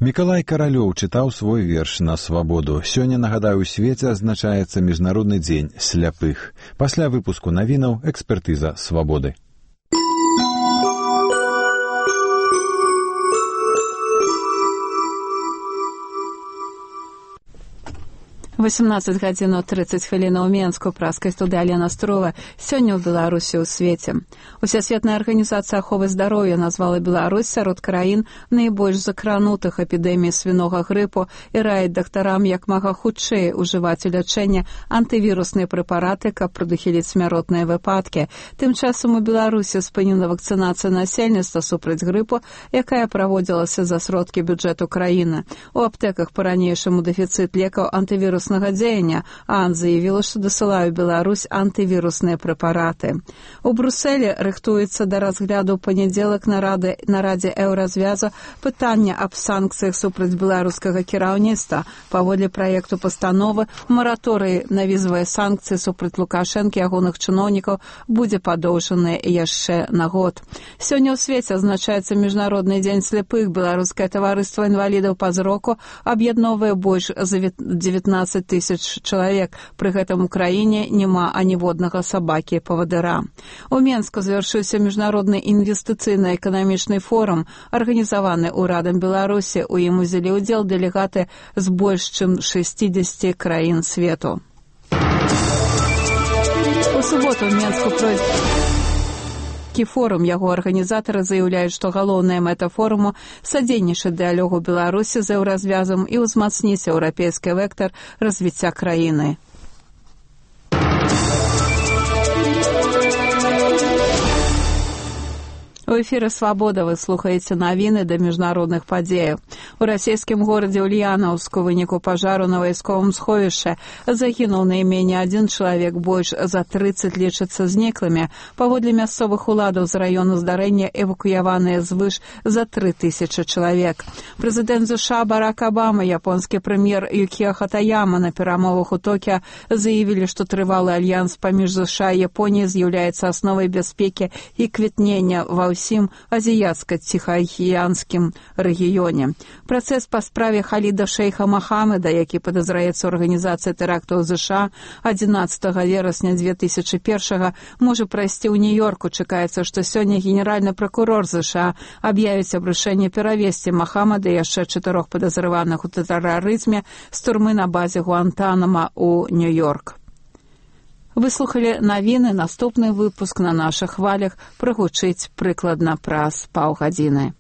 Мікалай Каралёў чытаў свой верш на свабоду. Сёння, нагадаю, у свеце адзначаецца Міжнародны дзень сляпых. Пасля выпуску навінаў экспертыза свабоды. 18 гадзін 30 хвілін у Менску, праскай студыі Алена Строва. Сёння ў Беларусі ў свеце. Усесветная арганізацыя аховы здароўя назвала Беларусь сярод краін найбольш закранутых эпідэміяй свінога грыпу і раіць дактарам як мага хутчэй ужываць у лячэнне антывірусныя прэпараты, каб прадухіліць смяротныя выпадкі. Тым часам у Беларусі спынена вакцынацыя насельніцтва супраць грыпу, якая праводзілася за сродкі бюджэту краіны. У аптэках па-ранейшаму дэфіцыт лекаў антывіруснага дзеяння, а заявіла, што дасылае ў Беларусь антывірусныя прэпараты. У Брусэлі рыхтуецца да разгляду ў панядзелак на радзе еўразвязу пытання аб санкцыях супраць беларускага кіраўніцтва. Паводле праекту пастановы, мараторый на візавыя санкцыі супраць Лукашэнкі і ягоных чыноўнікаў будзе падоўжаны яшчэ на год. Сёння ў свеце адзначаецца Міжнародны дзень сляпых. Беларускае таварыства інвалідаў па зроку аб'ядноўвае больш за 19 тысяч чалавек. Пры гэтым у краіне няма аніводнага сабакі-павадыра. У Менску завяршыўся міжнародны інвестыцыйна-эканамічны форум, арганізаваны ўрадам Беларусі. У ім узялі ўдзел дэлегаты з больш чым 60 краін свету. У суботу ў Менску пройдзе форум. Яго арганізатары заяўляюць, што галоўная мэта форуму садзейнічаць дыялогу Беларусі з еўразвязам і ўзмацніць еўрапейскі вектар развіцця краіны. У эфіры «Свабода» вы слухаеце навіны да міжнародных падзеяў. У расійскім горадзе Ульянаўску ў выніку пажару на вайсковым сховішчы загінуў найменей адзін чалавек, больш за 30 лічацца зніклымі. Паводле мясцовых уладаў з раёну здарэння эвакуяваныя звыш за 3000 чалавек. Прэзідэнт ЗША Барак Абама, японскі прэм'ер Юкіё Хатаяма на перамовах у Токіа заявілі, што трывалы альянс паміж ЗША і Японіяй з'яўляецца асновай бяспекі і квітнення ва ўсім азіяцка-ціхаакіянскім рэгіёне. Працэс па справе Халіда шэйха Махамеда, які падазраецца ў арганізацыі тэрактаў ЗША 11 верасня 2001 можа прайсці ў Нью-Йорку. Чакаецца, што сёння генеральны пракурор ЗША аб'явіць аб рашэнні перавесці Махамеда і яшчэ 4 падазраваных у тэрарызме з турмы на базе Гуантанама ў Нью-Йорк. Вы слухалі навіны. Наступны выпуск на нашых хвалях прагучыць прыкладна праз паўгадзіны.